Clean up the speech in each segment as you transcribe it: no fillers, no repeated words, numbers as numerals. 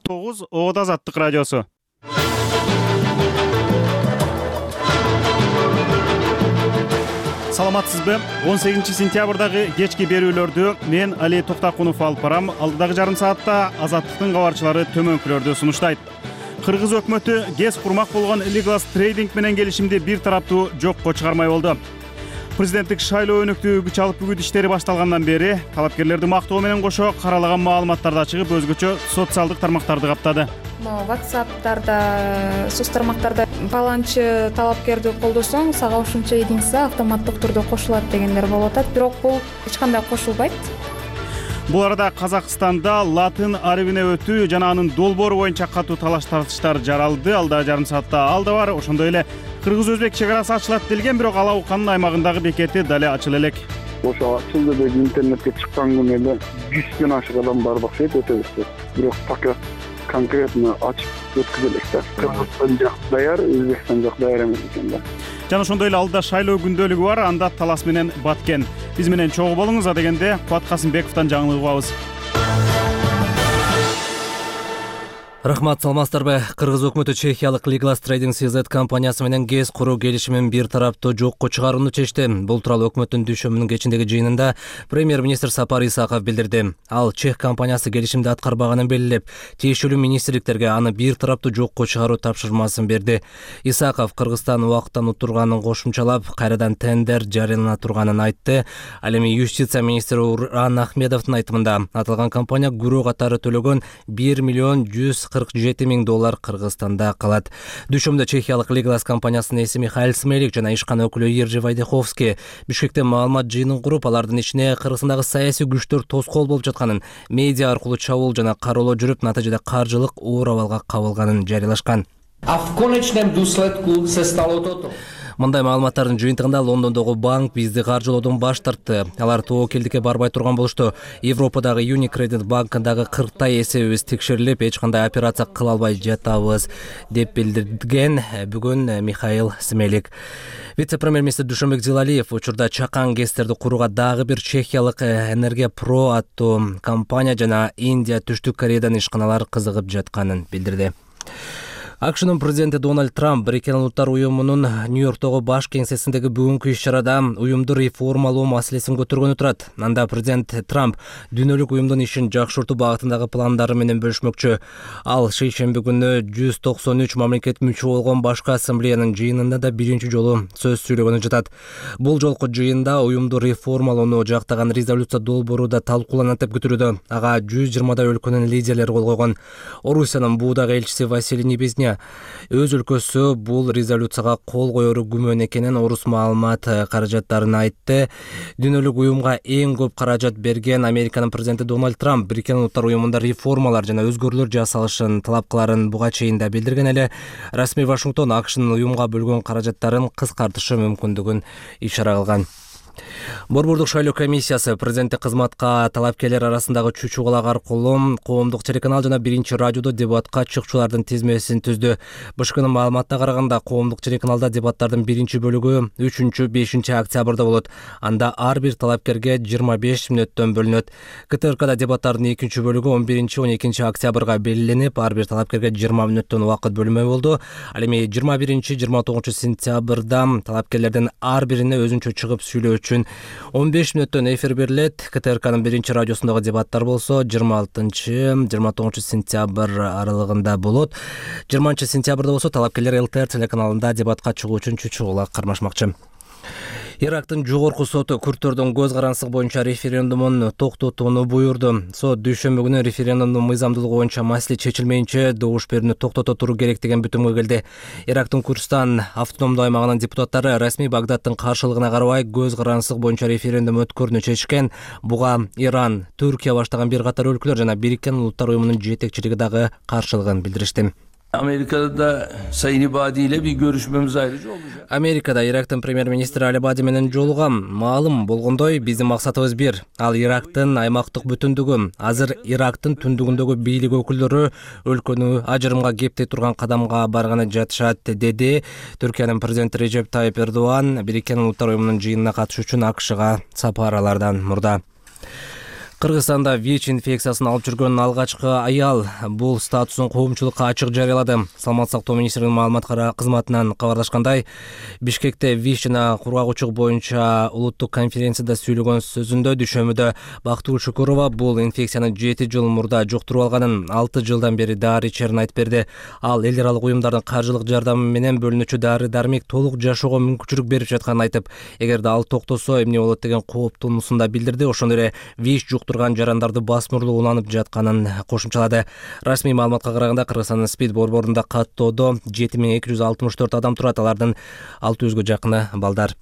9 Ода Азаттык радиосу. Саламатсызбы? 18 сентябрдагы кечки берүүлөрдү мен Али Токтакунов алып барам. Алдыдагы жарым саатта Азаттыктын кабарчылары төмөнкүлөрдү сунуштайт. Кыргыз өкмөтү ГЭС курмак болгон Legal Trading менен келишимди бир тараптуу жокко чыгармай болду. Президенттик шайлоо өнүктүү күч алып бүгүт иштери башталгандан бери талапкерлерди мактоо менен кошо каралаган маалыматтарды ачыгып, өзгөчө социалдык тармактарды каптады. WhatsApp'дарда, соц тармактарда паланчы талапкерди колдосоң, сага ушунча единица автоматтык түрдө кошулат дегендер болуп атат, бирок бул эч кандай кошулбайт. Бул арада Казакстанда латын арабине өтүү жана анын долбоору боюнча катуу талаш-тартыштар жаралды. Алда жарым саатта алда бар. Ошондой эле кыргыз-өзбек чек арасы ачылат делген, бирок Алауканын аймагындагы бекети дале ачыла элек. Ошо ачылды деп интернетке чыккан күнү эле 100дөн ашык адам бар окшойт өтөбүз. Бирок пока конкретно ачып өткүзө элек да. Кыргызстан жак даяр, Өзбекстан жак даяр эмес экен да. Жана ошондой эле алда шайлоо күндөлүгү бар, анда Талас менен Баткен. Биз менен чогуу болуңуз, а дегенде Кубат Касымбековдон жаңылык угабыз. Рахмат, саламатсыздарбы? Кыргыз өкмөтү Чехиялык Legal Trading CZ компаниясы менен ГЭС куруу келишимин бир тараптуу жокко чыгарууну чечти. Бул тууралуу өкмөттүн дүйшөмүнүн кечиндеги жыйынында премьер-министр Сапар Исаков билдирди. Ал Чех компаниясы келишимди аткарбаганын белгилеп, тиешелүү министрликтерге аны бир тараптуу жокко чыгаруу тапшырмасын берди. Исаков Кыргызстан убакыттан утурганын кошумчалап, кайрадан тендер жарыялана турганын айтты. Ал эми юстиция министри Уран Ахмедовдун айтымында аталган компания күрөө катары төлөгөн 1 миллион 147 миң доллар Кыргызстанда калат. Дүшөмдө Чехиялык Legal компаниясынын эси Михаил Смелик жана ишкана өкүлү Ержи Вайдеховский Бишкекте маалымат жыйынын куруп, алардын ичине Кыргызстандагы саясий күчтөр тоскоол болуп жатканын, медиа аркылуу чабуул жана кароолоо жүрүп, натыйжада каржылык оор абалга кабылганын жарыялашкан. Мындай маалыматтардын жыйынтыгында Лондондогу банк бизди каржылоодон баш тартты. Алар тобокелдикке барбай турган болушту. Европадагы Unicredit банкындагы 40 эсебибиз текшерилип, эч кандай операция кыла албай жатабыз, деп билдирген бүгүн Михаил Смелик. Вице-премьер-министр Душанбек Зилалиев учурда чакан ГЭСтерди курууга дагы бир чехиялык Энергия Про аттуу компания жана Индия, Түштүк Кореядан ишканалар кызыгып жатканын билдирди. АКШнын президенти Дональд Трамп Бириккен Улуттар уюмунун Нью-Йорктогу баш кеңсесиндеги бүгүнкү иш-чарада уюмду реформалоо маселесин көтөргөнү турат. Анда президент Трамп дүйнөлүк уюмдун ишин жакшыртуу багытындагы пландары менен бөлүшмөкчү. Ал шейшемби күнү 193 мамлекет мүчө болгон башкы ассамблеянын жыйынында да биринчи жолу сөз сүйлөгөнү жатат. Бул жолку жыйында уюмду реформалоону жактаган резолюция долбоору да талкууланат деп күтүлүүдө. Ага 120 өлкөнүн лидерлери кол койгон. Орусиянын буудагы элчиси Василий Небезня өз өлкөсү бул резолюцияга кол коеру күмөн экенин, орус маалымат каражаттарын айтты. Дүйнөлүк уюмга эң көп каражат берген Американын президенти Дональд Трамп Бириккен Улуттар уюмунда реформалар жана өзгөрүүлөр жасалышын талап кыларын буга чейин да билдирген эле. Расмий Вашингтон АКШнын уюмга бөлгөн каражаттарын кыскартышы мүмкүндүгүн ишара кылган. Борбордук шайлоо комиссиясы президенттик кызматка талапкерлер арасындагы чучугалак аркылуу коомдук телеканал жана биринчи радиодо дебатка чыкчулардын тизмесин түздү. БШКнын маалыматына караганда, коомдук телеканалда дебаттардын биринчи бөлүгү 3-5 октябрда болот. Анда ар бир талапкерге 25 мүнөттөн бөлүнөт. КТРКда дебаттардын экинчи бөлүгү 11-12 октябрга белгиленип, ар бир талапкерге 20 мүнөттөн убакыт бөлүнмөй болду. Ал эми 21-29 сентябрда талапкерлердин ар бирине өзүнчө чыгып сүйлөө үчүн 15 мүнөттөн эфир берилет. КТРКнын биринчи радиосундагы дебаттар болсо 26-29 сентябрь аралыгында болот. 20 сентябрда болсо талапкерлер ЛТР телеканалында дебатка чыгуу үчүн чучугалак кармашмакчы. Ирактын жогорку соту күрттөрдүн көз карандысыгы боюнча референдумун токтотууну буйрду. Сот дүйшөмбү күнү референдумдун мыйзамдуулугу боюнча маселе чечилмейинче добуш берүүнү токтото туруу керек деген бүтүмгө келди. Ирактын Курдистан автономдуу аймагынын депутаттары расмий Багдадтын каршылыгына карабай көз карандысыгы боюнча референдум өткөрүүнү чечишкен. Буга Иран, Түркия баштаган бир катар өлкөлөр жана Бириккен Улуттар уюмунун жетекчилиги дагы каршылыгын билдиришти. Amerika'da Sayın İbadi ile bir görüşmemiz ayrıca olacak. Америкада Ирактын премьер-министри Али Бади менен жолугам. Маалым болгондой, биздин максатыбыз бир. Ал Ирактын аймактык бүтүндүгү. Азыр Ирактын түндүгүндөгү бийлик өкүлдөрү өлкөнү ажырымга кептей турган кадамга барганы жатышат, деди. Түркиянын президенти Режеп Тайып Эрдоган Бириккен Улуттар уюмунун жыйынына катышуу үчүн АКШга сапаралардан мурда. Кыргызстанда ВИЧ инфекциясын алып жүргөн алгачкы аял бул статусун коомчулукка ачык жарыялады. Саламаттык сактоо министринин маалымат кызматынан кабарлашкандай, Бишкекте ВИЧ жана кургагучулук боюнча улуттук конференцияда сүйлөгөн сөзүндө дүйшөмбүдө Бактыгүл Шукурова бул инфекцияны 7 жыл мурда жуктуруп алганын, 6 жылдан бери дары ичерин айтып берди. Ал эл аралык уюмдардын каржылык жардамы менен бөлүнүүчү дары-дармек толук жашоого мүмкүнчүлүк берип жатканын айтып, эгерде ал токтосо эмне болот деген кооптуусун да билдирди. Ошондой эле ВИЧ жуктурган жарандарды басмырлуу уланып жатканын кошумчалады. Расмий маалыматка караганда Кыргызстандын СПИД борборунда каттоодо 7264 адам турат, алардын 600гө жакыны балдар.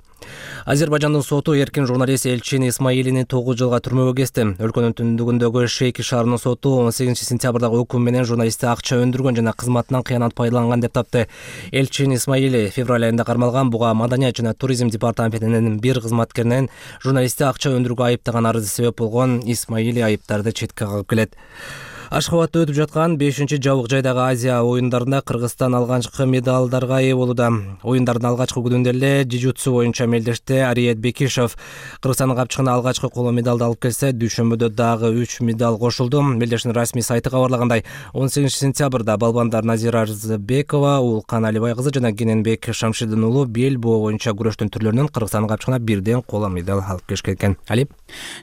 Азербайжандын соту эркин журналист Элчин Исмаилини 9 жылга түрмөгө кести. Өлкөнүн түндүгүндөгү Шейки шаарынын соту 18-сентябрдагы өкүм менен журналистти акча өндүргөн жана кызматынан кыянат пайдаланган деп тапты. Элчин Исмаили февраль айында кармалган. Буга Маданият жана туризм департаментинин бир кызматкеринен журналистти акча өндүрүүгө айыптаган арызы себеп болгон. Исмаили айыптарды четке кагып келет. Ашхабадда өтүп жаткан 5-жабык жайдагы Азия оюндарында Кыргызстан алгачкы медалдарга ээ болууда. Оюндардын алгачкы күнүндө эле жижутсу боюнча мелдешти Ариет Бекишев Кыргызстандын капчыгына алгачкы коло медалды алып келсе, дүйшөмбүдө дагы 3 медаль кошулду. Мелдештин расмий сайты кабарлагандай, 18-сентябрда балбандар Назира Арзыбекова, Улкан Алибай кызы жана Кененбек Шамшидин уулу бел боо боюнча күрөштүн түрлөрүнөн Кыргызстандын капчыгына бирден коло медаль алып келишкен экен. Али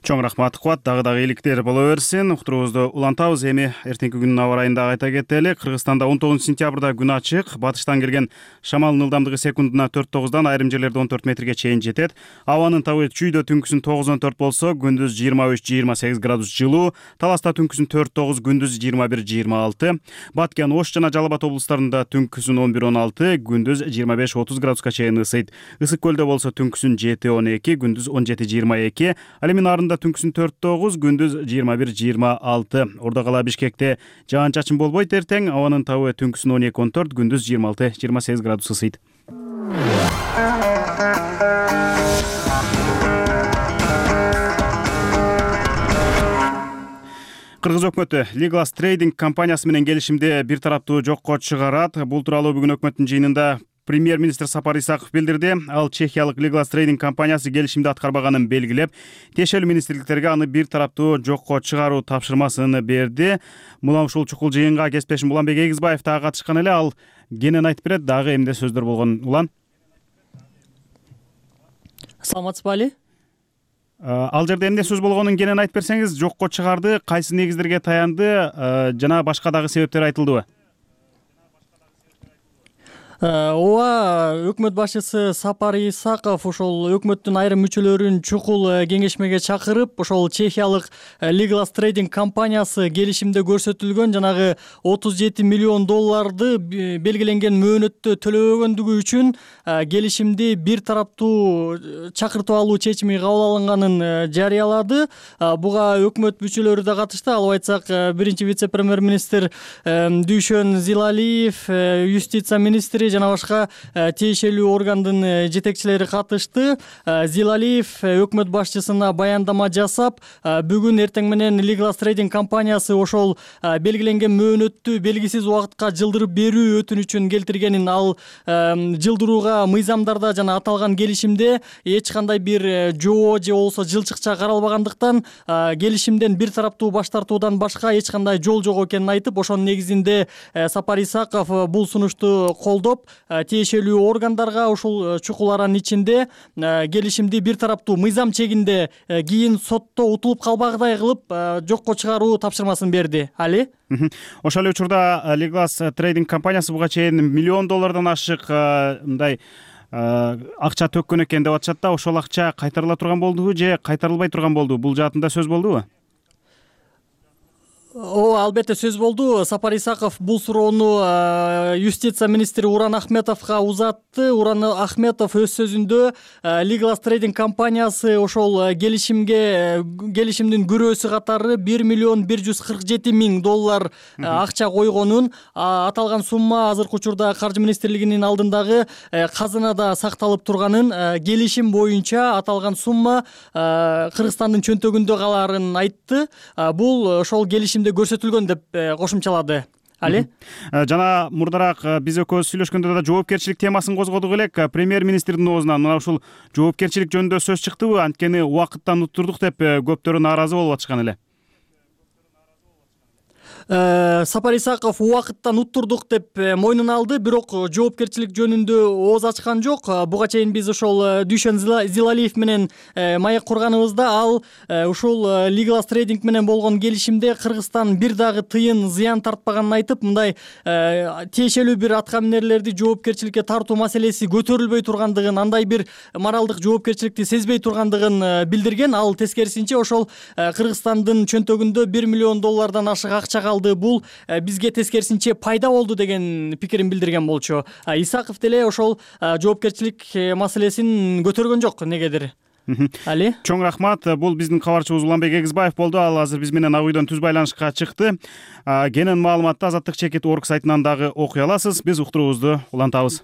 Чоң рахмат Кубат, дагы ийгиликтер боло берсин. Уктуруубузду улантабыз. Эртеңки күнүн аба райын дагы айта кетели. Кыргызстанда 19-сентябрда күн ачык, батыштан келген шамалдын ылдамдыгы секундуна 4-9дан, айрым жерлерде 14 метрге чейин жетет. Абанын табы чүйдө түнкүсүн 9-14 болсо, күндүз 23-28 градус жылуу, Таласта түнкүсүн 4-9, күндүз 21-26. Баткен, Ош жана Жалал Абад облустарында түнкүсүн 11-16, күндүз 25-30 градуска чейин ысыйт. Ысык көлдө болсо түнкүсүн 7-12, күндүз 17-22. Ал эми нарында түнкүсүн 4-9, күндүз 21-26. Ордо кала Бишкекте жаан-чачын болбойт эртең. Абанын табы түнкүсүн 12-14, күндүз 26-28 градус ысыйт. Кыргыз өкмөтү Legal Trading компаниясы менен келишимди бир тараптуу жокко чыгарат. Бул тууралуу бүгүн өкмөттүн жыйынында премьер-министр Сапар Исаков билдирди. Ал чехиялык Legal Trading компаниясы келишимди аткарбаганын белгилеп, тиешелүү министрликтерге аны бир тараптуу жокко чыгаруу тапшырмасын берди. Мына ушул чукул жыйынга кесиптешим Уланбек Эгизбаев дагы катышкан эле. Ал кенен айтып берет, дагы эмне сөздөр болгон. Улан. Саламатсызбы Али? Ал жерде эмне сөз болгонун кенен айтып берсеңиз, жокко чыгарды, кайсы негиздерге таянды, жана башка дагы себептер айтылдыбы? Ооба, өкмөт башчысы Сапар Исаков ошол өкмөттүн айрым мүчөлөрүн чукул кеңешмеге чакырып, ошол чехиялык Legal Trading компаниясы келишимде көрсөтүлгөн жанагы 37 миллион долларды белгиленген мөөнөттө төлөбөгөндүгү үчүн келишимди бир тараптуу чакыртып алуу чечими кабыл алынганын жарыялады. Буга өкмөт мүчөлөрү да катышты. Алып айтсак, биринчи вице-премьер-министр Дүйшөн Зилалиев, юстиция министри жана башка тиешелүү органдын жетекчилери катышты. Зилалиев өкмөт башчысына баяндама жасап, бүгүн эртең менен Legal Trading компаниясы ошол белгиленген мөөнөттү белгисиз убакытка жылдырып берүү өтүнүчүн келтиргенин, ал жылдырууга мыйзамдарда жана аталган келишимде эч кандай бир жоо же болбосо жылчыкча каралбагандыктан келишимден бир тараптуу баш тартуудан башка эч кандай жол жок экенин айтып, ошонун негизинде Сапар Исаков бул сунушту колдоп, тиешелүү органдарга ушул чукул аранын ичинде келишимди бир тараптуу мыйзам чегинде кийин сотто утулуп калбагыдай кылып жокко чыгаруу тапшырмасын берди. Али? Ошол эле учурда Legal Trading компаниясы буга чейин миллион доллардан ашык мындай акча төккөн экен деп атышат да. Ошол акча кайтарыла турган болдубу же кайтарылбай турган болдубу? Бул жаатында сөз болдубу? Ооба, албетте сөз болду. Сапар Исаков бул суроону юстиция министри Уран Ахметовго узатты. Уран Ахметов өз сөзүндө Legal Trading компаниясы ошол келишимдин күрөөсү катары 1 миллион 147 миң доллар акча койгонун, аталган сумма азыркы учурда Каржы министрлигинин алдындагы казынада сакталып турганын, келишим боюнча аталган сумма Кыргызстандын чөнтөгүндө каларын айтты. Бул ошол келишим көрсөтүлгөн деп кошумчалады. Али? Жана мурдараак биз экөөбүз сүйлөшкөндө да жоопкерчилик темасын козгодук элек. Премьер-министрдин оозунан мына ушул жоопкерчилик жөнүндө сөз чыктыбы? Анткени убакыттан уттурдук деп көптөрү нааразы болуп атышкан эле. Сапар Исаков убакыттан уттурдук деп мойнуна алды, бирок жоопкерчилик жөнүндө ооз ачкан жок. Буга чейин биз ошол Дүйшөн Зилалиев менен маек курганыбызда ал ушул Legal Trading менен болгон келишимде Кыргызстан бир дагы тыйын зыян тартпаганын айтып, мындай тиешелүү бир атка минерлерди жоопкерчиликке тартуу маселеси көтөрүлбөй тургандыгын, андай бир моралдык жоопкерчиликти сезбей тургандыгын билдирген. Ал тескерисинче ошол Кыргызстандын чөнтөгүндө $1 миллион ашык акча калды. Бул бизге тескерисинче пайда болду деген пикирин билдирген болчу. Исаков деле ошол жоопкерчилик маселесин көтөргөн жок негедир. Али? Чоң рахмат. Бул биздин кабарчыбыз Уланбек Эгизбаев болду. Ал азыр биз менен ак үйдөн түз байланышка чыкты. Кенен маалыматты Азаттык чекит орг сайтынан дагы окуй аласыз. Биз уктуруубузду улантабыз.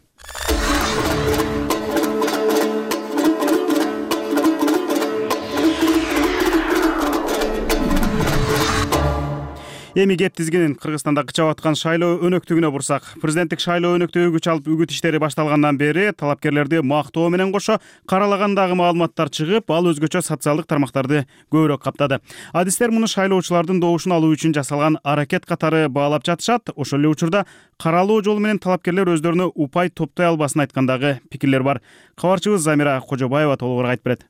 Эми кеп тизгинин Кыргызстанда кычап аткан шайлоо өнөктүгүнө бурсак. Президенттик шайлоо өнөктүгү күч алып үгүт иштери башталгандан бери талапкерлерди мактоо менен кошо каралагандагы маалыматтар чыгып, ал өзгөчө социалдык тармактарды көбүрөөк каптады. Адистер муну шайлоочулардын добушун алуу үчүн жасалган аракет катары баалап жатышат. Ошол эле учурда каралоо жолу менен талапкерлер өздөрүнө упай топтой албасын айткандагы пикирлер бар. Кабарчыбыз Замира Кожобаева толугураак айтып берет.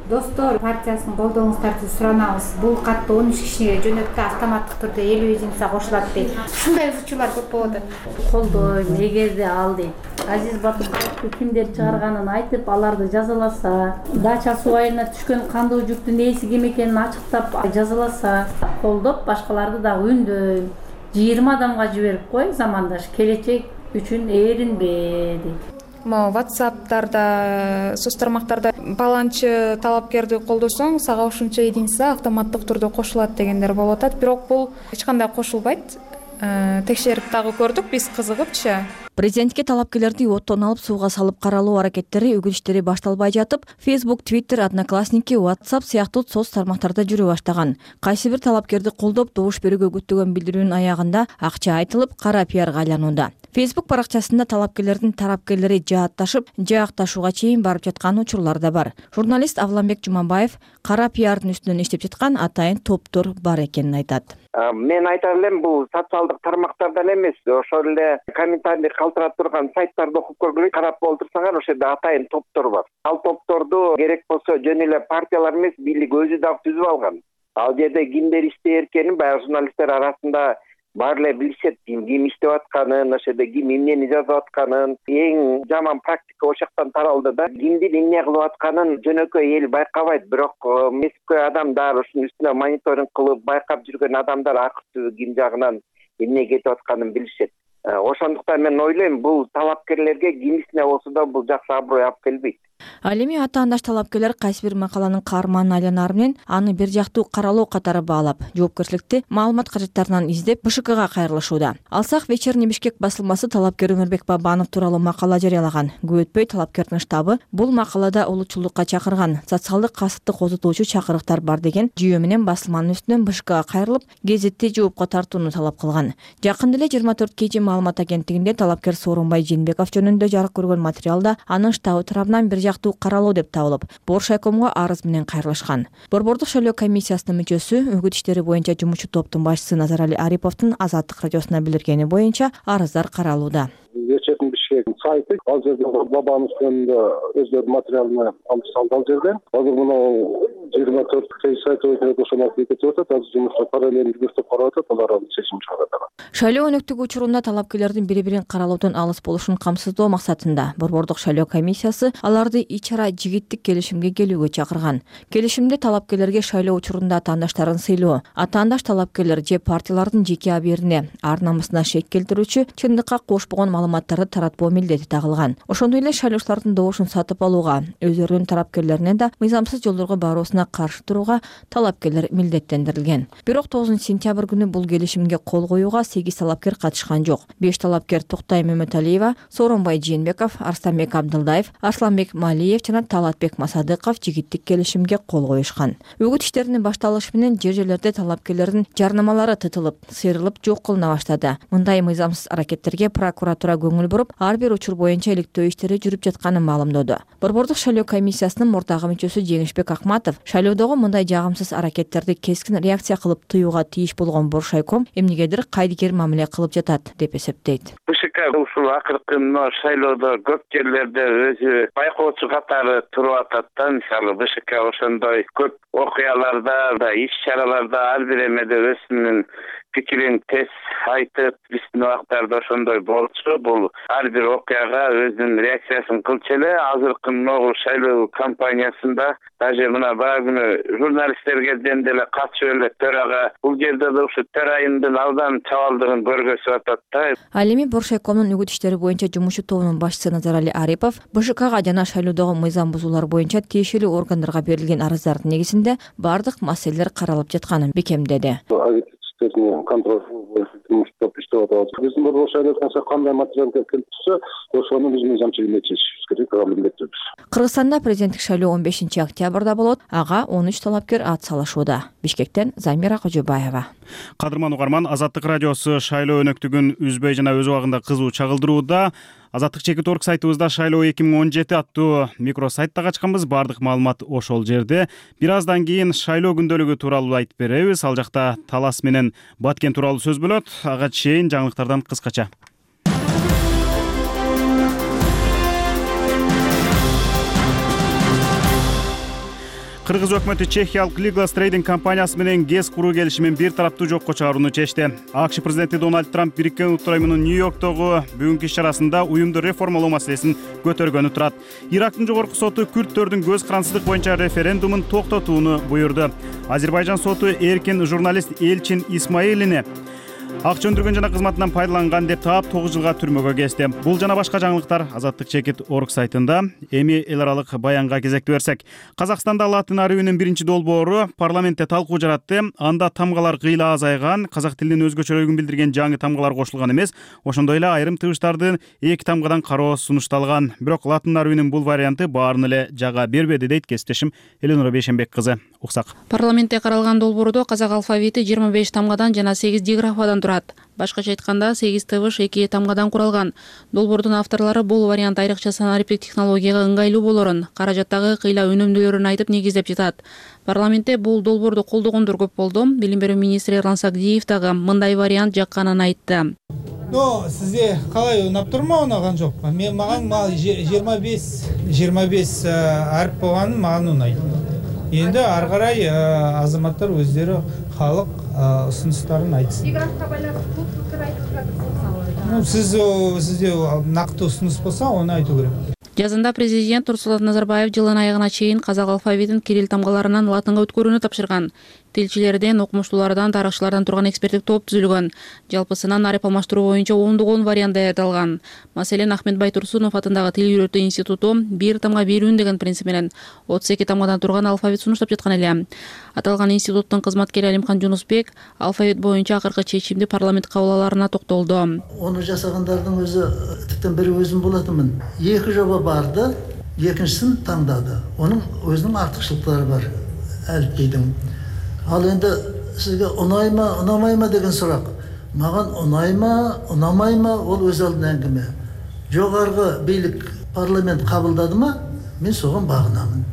Достор партиясын колдооңуздарды суранабыз. Бул катты 13 кишиге жөнөткө автоматтык түрдө 50 кошулат дейт. Ушундай учурлар көп болуп атат. Колдойм, эгерде ал дейт. Азиз Батырбаевди кимдер чыгарганын айтып, аларды жазаласа, Дача суу айылына түшкөн кандуу жүктүн ээси ким экенин ачыктап жазаласа, колдоп башкаларды дагы үндөйм. 20 адамга жиберип кой, замандаш келечек үчүн ээринбе дейт. WhatsApp'тарда, соц тармактарда баланчы талапкерди колдосоң, сага ушунча единица автоматтык түрдө кошулат дегендер болуп атат. Бирок бул эч кандай кошулбайт. Текшерип дагы көрдүк биз кызыгыпчы. Президентке талапкерлерди оттон алып сууга салып каралоо аракеттери үгүт иштери башталбай жатып, Facebook, Twitter, Одноклассники, WhatsApp сыяктуу соц тармактарда жүрө баштаган. Кайсы бир талапкерди колдоп добуш берүүгө күттөгөн билдирүүнүн аягында акча айтылып, кара пиарга айланууда. Facebook баракчасында талапкерлердин тарапкерлери жаатташып, жаакташууга чейин барып жаткан учурлар да бар. Журналист Авламбек Жуманбаев кара пиардын үстүнөн иштеп жаткан атайын топтор бар экенин айтат. Мен айта элем, бул социалдык тармактардан эмес, ошол эле комментарий калтырап турган сайттарды окуп көргүлө, карап олтурсаңар, ошол жерде атайын топтор бар. Ал топторду керек болсо жөн эле партиялар эмес, бийлик өзү дагы түзүп алган. Ал жерде кимдер иштей эркенин баягы журналисттер арасында баары эле билишет, ким иштеп атканын, ошол жерде ким эмнени жазып атканын. Эң жаман практика ошол жактан таралды да. Кимдин эмне кылып атканын жөнөкөй эл байкабайт, бирок мезгил адамдар ушунун үстүнө мониторинг кылып байкап жүргөн адамдар акыркы ким жагынан эмне кетип атканын билишет. Ошондуктан мен ойлойм, бул талапкерлерге кимисине болсо да бул жакшы аброй алып келбейт. Ал эми атаандаш талапкерлер кайсы бир макаланын каарманын айланары менен аны бир жактуу каралоо катары баалап, жоопкерчиликти маалымат каражаттарынан издеп БШКга кайрылышууда. Алсак Вечерний Бишкек басылмасы талапкер Өмүрбек Бабанов тууралуу макала жарыялаган. Көп өтпөй талапкердин штабы бул макалада улутчулдукка чакырган, социалдык касыпты козутуучу чакырыктар бар деген жүйө менен басылманын үстүнөн БШКга кайрылып, гезитти жоопко тартууну талап кылган. Жакында эле 24 KG маалымат агенттигинде талапкер Сооронбай Жээнбеков жөнүндө жарык көргөн материалда анын штабы тарабынан бир жактуу каралоо деп табылып, Боршайкомго арыз менен кайрылышкан. Борбордук шайлоо комиссиясынын мүчөсү, үгүт иштери боюнча жумушчу топтун башчысы Назарали Ариповдун Азаттык радиосуна билдиргени боюнча арыздар каралууда. Вечерний Бишкек сайты ал жерде Бабанов жөнүндө өздөрүнүн материалын алып салды ал жерден. Азыр мына 24 сайты өтүп ошону кетип атат. Азыр жумушта параллельдүү жүрүп карап атат, алар чечим чыгарат. Шайлоо өнөктүгү учурунда талапкерлердин бири-бирин каралоодон алыс болушун камсыздоо максатында Борбордук шайлоо комиссиясы аларды ичара жигиттик келишимге келүүгө чакырган. Келишимде талапкерлерге шайлоо учурунда атаандаштарын сыйлоо, атаандаш талапкерлер же партиялардын жеке абийирине, ар намысына шек келтирүүчү, чындыкка кошпогон маалыматтарды таратпоо милдети тагылган. Ошондой эле шайлоочулардын добушун сатып алууга, өздөрүнүн тарапкерлерине да мыйзамсыз жолдорго баруусуна каршы турууга талапкерлер милдеттендирилген. Бирок 9 сентябрь күнү бул келишимге кол коюуга 8 8 талапкер катышкан жок. 5 талапкер Токтай Мөмөталиева, Сооронбай Жээнбеков, Арстанбек Абдылдаев, Арсланбек Малиев жана Талатбек Масадыков жигиттик келишимге кол коюшкан. Үгүт иштеринин башталышы менен жер-жерлерде талапкерлердин жарнамалары тытылып, сыйрылып жок кылына баштады. Мындай мыйзамсыз аракеттерге прокуратура көңүл буруп, ар бир учур боюнча иликтөө иштери жүрүп жатканын маалымдоду. Борбордук шайлоо комиссиясынын мурдагы мүчөсү Жеңишбек Акматов шайлоодогу мындай жагымсыз аракеттерди кескин реакция кылып тыюуга тийиш болгон Боршайком эмнегедир кайдыгер мамиле кылып жатат деп эсептейт. БШК ушул акыркы шайлоодо көп жерлерде өзү байкоочу катары туруп атат да. Мисалы БШК ошондой көп окуяларда, иш-чараларда ар бир эмеде өзүнүн пикирин тез айтып, биздин убактарда ошондой болчу. Бул ар бир окуяга өзүнүн реакциясын кылчу эле. Азыркы могу шайлоо кампаниясында даже мына баа күнү журналисттерге деле катышып эле төрага бул жерде да ушу төрайымдын абдан чабалдыгын көргөзүп атат да. Ал эми Боршайкомдун үгүт иштери боюнча жумушчу тобунун башчысы Назарали Арипов БШКга жана шайлоодогу мыйзам бузуулар боюнча тиешелүү органдарга берилген арыздардын негизинде бардык маселелер каралып жатканын бекемдеди. Контроль иштеп атабыз. Биздин борбор шайлоо кандай материал келип турса, ошону биз мыйзамчылыкта чечишибиз керек, милдеттүүбүз. Кыргызстанда президенттик шайлоо 15 октябрда болот. Ага 13 талапкер ат салышууда. Бишкектен Замира Кожобаева. Кадырман угарман, Азаттык радиосу шайлоо өнөктүгүн үзбөй жана өз убагында кызуу чагылдырууда. Азаттык чекит орг сайтыбызда шайлоо 2017 аттуу микросайтта ачканбыз. Бардык маалымат ошол жерде. Бир аздан кийин шайлоо күндөлүгү тууралуу айтып беребиз. Ал жакта Талас менен Баткен тууралуу сөз болот. Ага чейин жаңылыктардан кыскача. Кыргыз өкмөтү Чехиялык Legal Trading компаниясы менен ГЭС куруу келишимин бир тараптуу жокко чыгарууну чечти. АКШ президенти Дональд Трамп Бириккен Улуттар уюмунун Нью-Йорктогу бүгүнкү иш-чарасында уюмду реформалоо маселесин көтөргөнү турат. Ирактын жогорку соту күрдтөрдүн көз карансыздык боюнча референдумун токтотууну буйрду. Азербайжан соту эркин журналист Элчин Исмаилини акча өндүргөн жана кызматынан пайдаланган деп таап 9 жылга түрмөгө кести. Бул жана башка жаңылыктар Азаттык чекит орг сайтында. Эми эл аралык баянга кезекти берсек. Казакстанда латын арабинин биринчи долбоору парламентте талкуу жаратты. Анда тамгалар кыйла азайган, казак тилинин өзгөчөлүгүн билдирген жаңы тамгалар кошулган эмес. Ошондой эле айрым тыгыштардын эки тамгадан кароо сунушталган. Бирок латын арабинин бул варианты баарын эле жага бербеди дейт кесиптешим Эленора Бейшенбек кызы. Уксак. Парламентте каралган долбоордо казак алфавити 25 тамгадан жана 8 диграфадан турат. Башкача айтканда 8 тыбыш 2 тамгадан куралган. Долбоордун авторлору бул вариант айрыкча санариптик технологияга ыңгайлуу болорун, каражаттагы кыйла өнүмдүүлөрүн айтып негиздеп жатат. Парламентте бул долбоорду колдогондор көп болду. Билим берүү министри Эрлан Сагдиев дагы мындай вариант жакканын айтты. Сизге калай унап турбу, унаган жокпу? Мен маган 25 арп болгону маган унайт. Енді ары қарай азаматтар өздері халық ұсыныстарын айтсын. Диграфқа байланысты бұл пікір айтып жатырсыз. Сізде нақты ұсыныс болса, оны айту керек. Жазында президент Нурсултан Назарбаев жылдын айыгына чейин казак алфавитин кирилл тамгаларынан латынга өткөрүүнү тапшырган. Тилчилерден, окумуштуулардан, тарыхчылардан турган эксперттик топ түзүлгөн. Жалпысынан арып алмаштыруу боюнча 10 вариант даярдалган. Маселен, Ахмет Байтурсунов атындагы Тил үйрөтүү институту бир тамга берүүн деген принцип менен 32 тамгадан турган алфавит сунуштап жаткан эле. Аталган институттун кызматкери Алимхан Жунусбек алфавит боюнча акыркы чечимди парламент кабыл аларына токтолду. Ону жасагандардын өзү типтен бери өзүм болатымын. Эки жоба барды, экинчисин таңдады. Онун өзүнүн артыкчылыктары бар. Әліпбейдің. Ал енді сізге ұнайма, ұнамайма деген сұрақ. Маған ұнайма, ұнамайма, ол өз алдына әңгіме. Жоғарғы бийлик парламент қабылдады ма, мен соған бағынамын.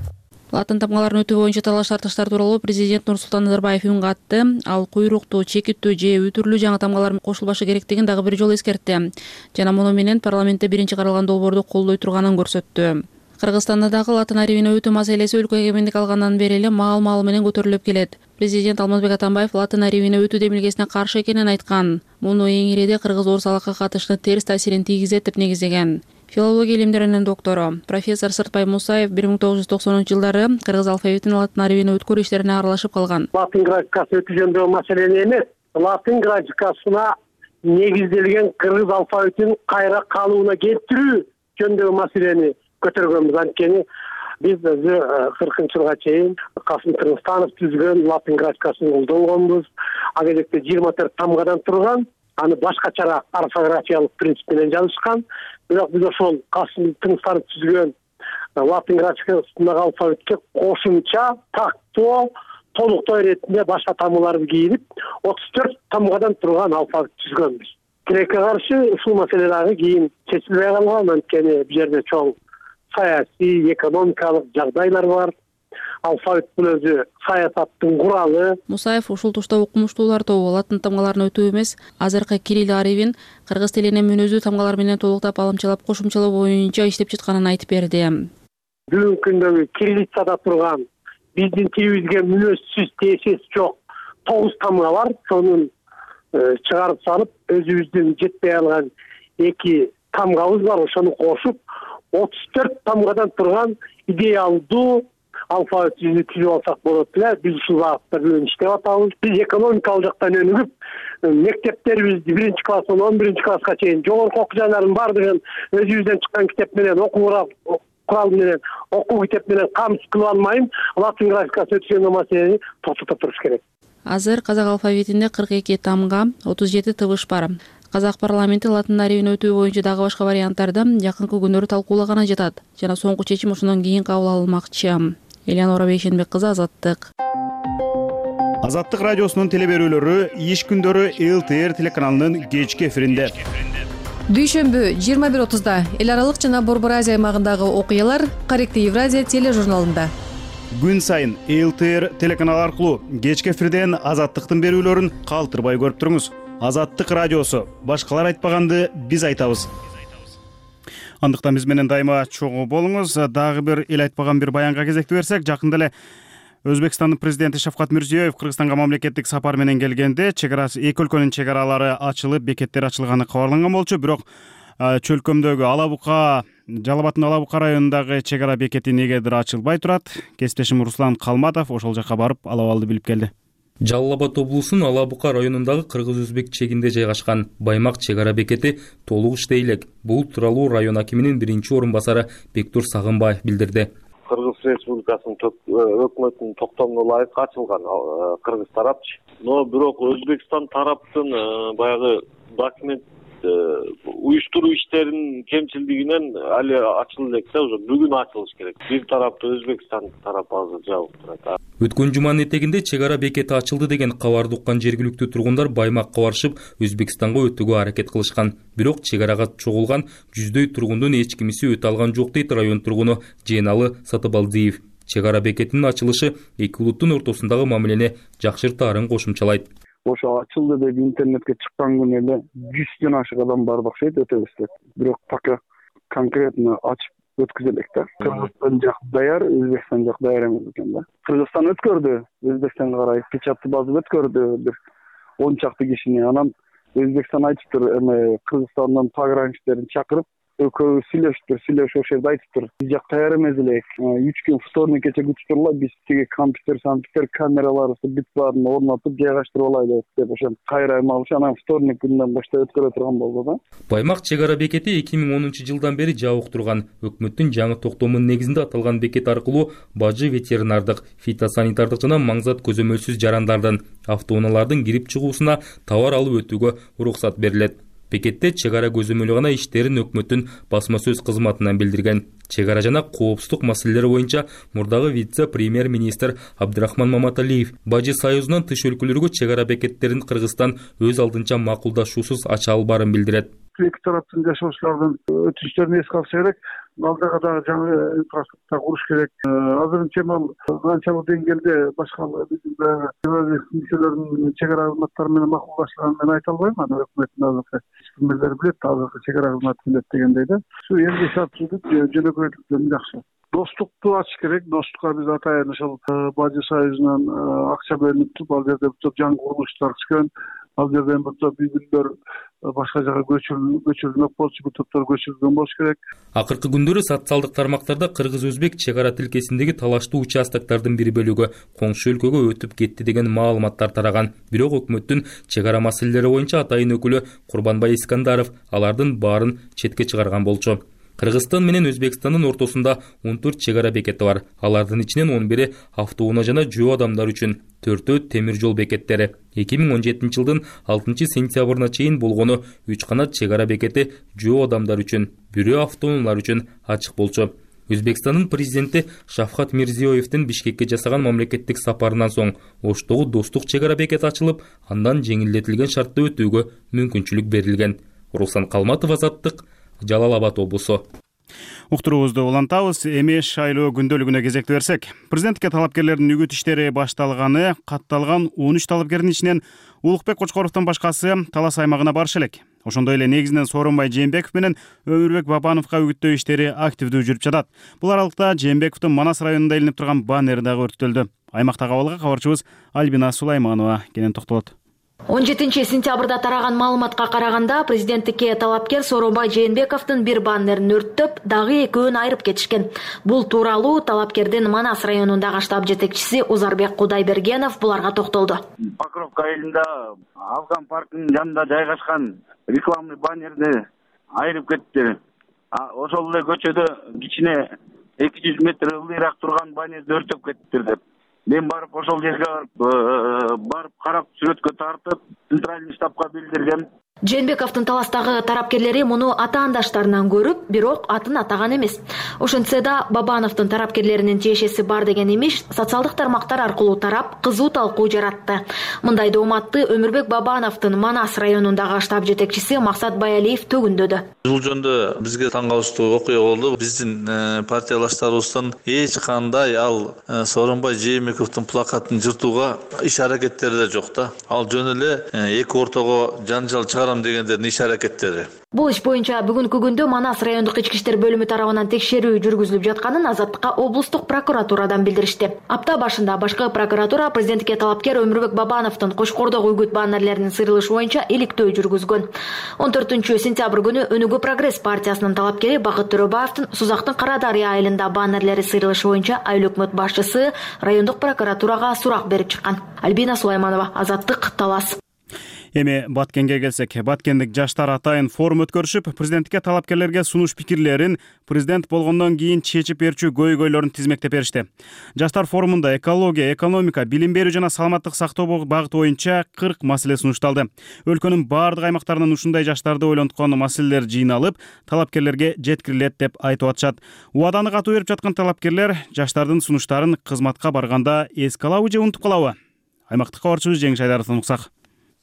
Латын тамгаларын өтүү боюнча талаш тартыштар тууралуу президент Нурсултан Назарбаев үн катты. Ал куйруктуу, чекиттүү же өтүрлүү жаңы тамгалар кошулбашы керектигин дагы бир жолу эскертти. Жана муну менен парламентте биринчи каралган долбоорду колдой турганын көрсөттү. Кыргызстанда дагы латын арабине өтүү маселеси өлкө эгемендик алгандан бери эле маал менен көтөрүлүп келет. Президент Алмазбек Атамбаев латын арабине өтүү демилгесине каршы экенин айткан. Муну эң ириде кыргыз орус алакка катыштын терс таасирин тийгизет деп негиздеген. Филология илимдеринин доктору профессор Сыртбай Мусаев 1990-жылдары кыргыз алфавитин латын арабине өткөрүү иштерине аралашып калган. Латын графикасы өтүү жөнүндөгү маселени эмес, латын графикасына негизделген кыргыз алфавитин кайра калыбына келтирүү жөнүндөгү маселени көтөргөнбүз. Анткени биз 40-жылга чейин Касым Кыргызстанов түзгөн латын графикасын колдонгонбуз. Ал кезде 24 тамгадан турган аны башкачараак орфографиялык принцип менен жазышкан. Бирок биз ошол тыңстарды түзгөн латын графикасындагы алфавитке кошумча тактоо толуктоо иретинде башка тамгаларды кийинип 34 тамгадан турган алфавит түзгөнбүз. Тилекке каршы ушул маселе дагы кийин чечилбей калган, анткени бул жерде чоң саясий, экономикалык жагдайлар бар. Алфавит бул өзү саясаттын куралы. Мусаев ушул тушта окумуштуулар тобу латын тамгаларын өтүү эмес, азыркы кирилл арабин кыргыз тилине мүнөздүү тамгалар менен толуктап алымчалап кошумчалоо боюнча иштеп жатканын айтып берди. Бүгүнкү күндөгү кириллицада турган биздин тилибизге мүнөзсүз тээсеси жок 9 тамга бар. Сонун чыгарып салып, өзүбүздүн жетпей алган 2 тамгабыз бар. Ошону кошуп 34 тамгадан турган идеалдуу алфавит түзүп алсак болот эле. Биз ушул багытта бүгүн иштеп атабыз. Биз экономикалык жактан өнүгүп, мектептерибизди 1-класстан 11-класска чейин жогорку окуу жайлардын баардыгын өзүбүздөн чыккан китеп менен курал менен окуу китеп менен камсыз кылып алмайын, латын графикасы өткөн маселени токтотуп туруш керек. Азыр казак алфавитинде 42 тамга, 37 тыбыш бар. Казак парламенти латын арабин өтүү боюнча дагы башка варианттарды жакынкы күндөрү талкуулаганы жатат жана соңку чечим ошондон кийин кабыл алынмакчы. Элеонора Бейшенбек кызы, Азаттык. Азаттык радиосунун телеберүүлөрү иш күндөрү ЛТР телеканалынын кечки эфиринде. Дүйшөмбү 21:30 эл аралык жана Борбор Азия аймагындагы окуялар Корректив Евразия тележурналында. Күн сайын ЛТР телеканалы аркылуу кечки эфирден Азаттыктын берүүлөрүн калтырбай көрүп туруңуз. Азаттык радиосу, башкалар айтпаганды биз айтабыз. Андыктан биз менен дайыма чогуу болуңуз. Дагы бир эл айтпаган бир баянга кезекти берсек, жакында эле Өзбекстандын президенти Шавкат Мирзиёев Кыргызстанга мамлекеттик сапар менен келгенде чегарасы эки өлкөнүн чегаралары ачылып, бекеттер ачылганы кабарланган болчу. Бирок чөлкөмдөгү Жалал Абаддын Алаа Бука районундагы чегара бекети негедир ачылбай турат. Кесиптешим Руслан Калматов ошол жака барып алабалды билип келди. Жалал Абад облусунун Алаа Бука районундагы кыргыз-өзбек чегинде жайгашкан Баймак чегара бекети толук иштей элек. Бул тууралуу район акиминин биринчи орун басары Бектур Сагынбаев билдирди. Кыргыз Республикасынын өкмөтүнүн токтомуна ылайык ачылган кыргыз тарапчы. Но бирок Өзбекстан тараптын баягы документ уюштуруу иштеринин кемчилдигинен али ачылды элек да, уже бүгүн ачылыш керек. Бир тарапты Өзбекстан тарапы азыр жабык турат. Өткөн жуманын этегинде чегара бекети ачылды деген кабарды уккан жергиликтүү тургундар Баймакка барышып, Өзбекстанга өтүүгө аракет кылышкан. Бирок чегарага чогулган жүздөй тургундун эч кимиси өтө алган жок дейт район тургуну Жeenалы Сатыбалдиев. Чегара бекетинин ачылышы эки улуттун ортосундагы мамилени жакшыртаарын кошумчалайт. Ошо ачылды деп интернетке чыккан күнү эле 100дөн ашык адам бар окшойт, өтөбүз деп. Бирок пока конкретно ачып өткүзө элек да. Кыргызстан жак даяр, Өзбекстан жак даяр эмес экен да. Кыргызстан өткөрдү, Өзбекстанга карай печатты базып өткөрдү бир 10 чакты кишини. Анан Өзбекстан айтыптыр, Кыргызстандан пограничтерин чакырып, экөө сүйлөшүптүр, ошол жерде айтыптыр. Биз жак даяр эмес элек. 3 күн вторник кече күтүптүрлөр, биз тиги компьютер камераларыбызды бүт баарын орнотуп жайгаштырып алайлы деп ошентип кайра алыш, анан вторник күнүнөн баштап өткөрө турган болду да. Баймак чегара бекети 2010-жылдан бери жабык турган. Өкмөттүн жаңы токтомунун негизинде аталган бекет аркылуу бажы ветеринардык, фитосанитардык жана маңзат көзөмөлсүз жарандардын, автоунаалардын кирип чыгуусуна товар алып өтүүгө уруксат берилет. Бекетте чегара көзөмөлү гана иштерин өкмөттүн басма сөз кызматынан билдирген. Чегара жана коопсуздук маселелери боюнча мурдагы вице-премьер-министр Абдрахман Маматалиев Бажы союзунан тыш өлкөлөргө чегара бекеттерин Кыргызстан өз алдынча макулдашуусуз ача албаарын билдирет. Эки тараптын жашоочулардын өтүштөрүн эске алыш керек. Алдыга дагы жаңы инфраструктура куруш керек. Азырынча канчалык деңгээлде башка биздин мүчөлөрүнүн чегара кызматтары менен макулдашылганын мен айта албайм. Анан өкмөттүн азыркы ишмерлери билет, азыркы чегара кызматы билет дегендей да. Ушу эмгек шартчылык жөнөкөйлүктөн жакшы. Достукту ачыш керек. Достукка биз атайын ошол Бажы союзунан акча бөлүнүп туруп, ал жерде жаңы курулуштар түшкөн. Ал жерден үй-бүлөлөр башка жака көчүрүлмөк болчу, бул топтор көчүрүлгөн болуш керек. Акыркы күндөрү социалдык тармактарда кыргыз-өзбек чегара тилкесиндеги талаштуу участоктардын бир бөлүгү коңшу өлкөгө өтүп кетти деген маалыматтар тараган. Бирок өкмөттүн чегара маселелери боюнча атайын өкүлү Курбанбай Искандаров алардын баарын четке чыгарган болчу. Кыргызстан менен Өзбекстандын ортосунда 14 чек ара бекети бар. Алардын ичинен 11 автоунаа жана жөө адамдар үчүн, 4 темир жол бекеттери. 2017 жылдын 6 сентябрына чейин болгону 3 канат чек ара бекети жөө адамдар үчүн, бирөө автоунаалар үчүн ачык болчу. Өзбекстандын президенти Шавкат Мирзиёевдин Бишкекке жасаган мамлекеттик сапарынан соң Оштогу достук чек ара бекети ачылып, андан жеңилдетилген шартта өтүүгө мүмкүнчүлүк берилген. Руслан Калматов, Азаттык, Жалал Абад облусу. Уктуруубузду улантабыз. Эми шайлоо күндөлүгүнө кезекти берсек, президентке талапкерлердин үгүт иштери башталганы, катталган 13 талапкердин ичинен Улукбек Кочкоровдон башкасы Талас аймагына барышы элек. Ошондой эле негизинен Сооронбай Жээнбеков менен Өмүрбек Бабановго үгүттөө иштери активдүү жүрүп жатат. Бул аралыкта Жээнбековдун Манас районунда илинип турган баннери дагы өрттөлдү. Аймактагы абалга кабарчыбыз Альбина Сулайманова кенен токтолот. 17 сентябрда тараган маалыматка караганда, президенттикке талапкер Сооронбай Жээнбековдун бир баннерин өрттөп, дагы экөөнү айырып кетишкен. Бул тууралуу талапкердин Манас районундагы штаб жетекчиси Узарбек Кудайбергенов буларга токтолду. Покровка айылында Алкан паркынын жанында жайгашкан рекламный баннерди айырып кетти. Ошол эле көчөдө кичине 200 метр ылдыйраак турган баннерди өртөп кеттиптир деп. Мен барып ошол жерге барып карап сүрөткө тартып, центральный штабка билдиргем. Жээнбековдун Таластагы тарапкерлери муну атаандаштарынан көрүп, бирок атын атаган эмес. Ошентсе да Бабановдун тарапкерлеринин тиешеси бар деген имиш социалдык тармактар аркылуу тарап, кызуу талкуу жаратты. Мындай дооматты Өмүрбек Бабановдун Манас районундагы штаб жетекчиси Максат Баялиев төгүндөдү. Бул жөнүндө бизге таң калыштуу окуя болду. Биздин партиялаштарыбыздын эч кандай ал Сооронбай Жээнбековдун плакатын жыртууга иш-аракеттери да жок да. Ал жөн эле эки ортого жанжал чыгарам дегендердин иш-аракеттери. Бул иш боюнча бүгүнкү күндө Манас райондук ички иштер бөлүмү тарабынан текшерүү жүргүзүлүп жатканын Азаттыкка облустук прокуратурадан билдиришти. Апта башында башкы прокуратура президентке талапкер Өмүрбек Бабановдун Кошкордогу үгүт баннерлеринин сыйрылышы боюнча иликтөө жүргүзгөн. 14 сентябрь күнү Өнүгүү Прогресс партиясынын талапкери Бакыт Төрөбаевдин Сузактын Кара Дарыя айылында баннерлери сыйрылышы боюнча айыл өкмөт башчысы райондук прокуратурага сурак берип чыккан. Альбина Сулайманова, Азаттык, Талас. Эми Баткенге келсек, Баткендик жаштар атайын форум өткөрүшүп, президенттикке талапкерлерге сунуш пикирлерин президент болгондон кийин чечип берчү көйгөйлөрүн тизмектеп беришти. Жаштар форумунда экология, экономика, билим берүү жана саламаттык сактоо багыты боюнча 40 маселе сунушталды. Өлкөнүн бардык аймактарынан ушундай жаштарды ойлонткон маселелер жыйналып, талапкерлерге жеткирилет деп айтып атышат. Убаданы катуу берип жаткан талапкерлер жаштардын сунуштарын кызматка барганда эске алабы же унутуп калабы? Аймактык кабарчыбыз Жеңиш Айдаровдон уксак.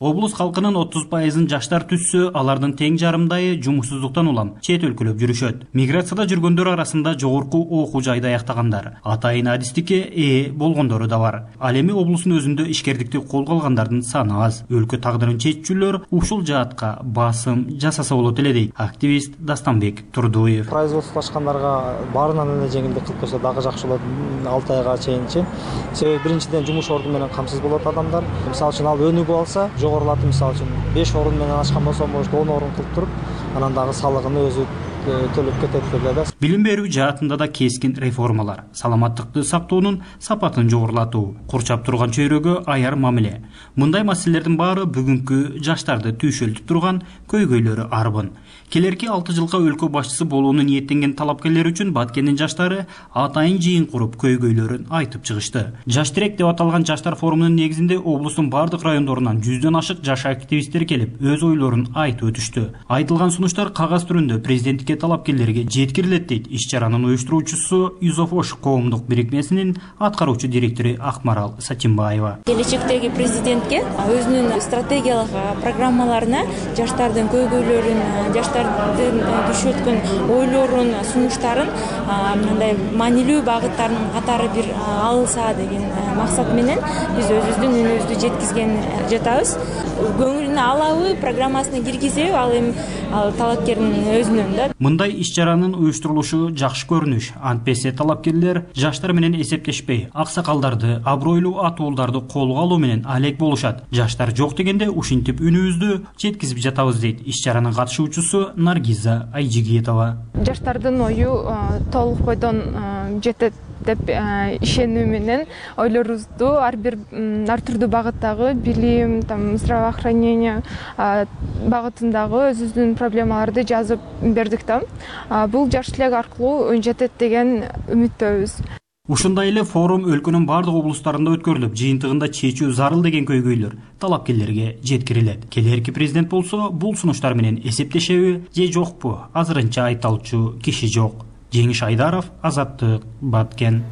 Облус халкынын 30% жаштар түссө, алардын тең жарымдайы жумушсуздуктан улам чет өлкөлөп жүрүшөт. Миграцияда жүргөндөр арасында жогорку окуу жайды аяктагандар, атайын адистикке ээ болгондору да бар. Ал эми облустун өзүндө ишкердикти колго алгандардын саны аз. Өлкө тагдырын чечүүчүлөр ушул жаатка басым жасаса болот эле дейт активист Дастанбек Турдуев. Производстволошкандарга баарынан эле жеңилдик кылып койсо дагы жакшы болот. 6 айга чейинчи. Себеби биринчиден жумуш орду менен камсыз болот адамдар. Мисалы үчүн ал өнүгүп алса, жогорулатып, мисалы үчүн 5 орун менен ачкан болсо, может 10 орун кылып туруп, анан дагы салыгын өзү төлөп кетет да. Билим берүү жаатында да кескин реформалар, саламаттыкты сактоонун сапатын жогорулатуу, курчап турган чөйрөгө аяр мамиле. Мындай маселелердин баары бүгүнкү жаштарды түйшөлтүп турган көйгөйлөрү арбын. Келерки 6 жылга өлкө башчысы болууну ниеттенген талапкерлер үчүн Баткендин жаштары атайын жыйын куруп көйгөйлөрүн айтып чыгышты. Жаш тирек деп аталган жаштар форумунун негизинде облустун бардык райондорунан 100дөн ашык жаш активисттер келип, өз ойлорун айтып өтүштү. Айтылган сунуштар кагаз түрүндө президенттикке талапкерлерге жеткирилет дейт иш-чаранын уюштуруучусу Юзофош коомдук бирикмесинин аткаруучу директору Акмарал Сатимбаева. Келечектеги президентке өзүнүн стратегиялык программаларына жаштардын көйгөйлөрүн, жаштардын түшөткөн ойлорун, сунуштарын мындай маанилүү багыттарынын катары бир алынса деген максат менен биз өзүбүздүн үнүбүздү жеткизген жатабыз. Көңүлүнө алабы, программасына киргизеби, ал эми талапкердин өзүнөн да. Мындай иш-чаранын уюштурулушу жакшы көрүнүш. Антпесе талапкерлер жаштар менен эсептешпей, аксакалдарды, абройлуу атуулдарды колго алуу менен алек болушат. Жаштар жок дегенде ушинтип үнүбүздү жеткизип жатабыз дейт иш-чаранын катышуучусу Наргиза Айжигиетова. Жаштардын ою толук бойдон жетет деп ишенүү менен ойлорубузду ар түрдүү багыттагы билим, здравоохранение багытындагы өзүбүздүн проблемаларды жазып бердик да. Бул жаш тилек аркылуу өн жетет деген үмүттөбүз. Ушундай эле форум өлкөнүн бардык облустарында өткөрүлүп, жыйынтыгында чечүү зарыл деген көйгөйлөр талапкерлерге жеткирилет. Келээрки президент болсо бул сунуштар менен эсептешеби же жокпу? Азырынча айта алчу киши жок. Жеңиш Айдаров, Азаттык, Баткен.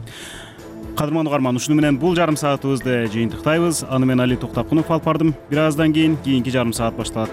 Кадырман угарман, ушуну менен бул жарым саатыбызды жыйынтыктайбыз. Аны мен Али Токтакунов алып бардым. Бир аздан кийин кийинки жарым саат башталат.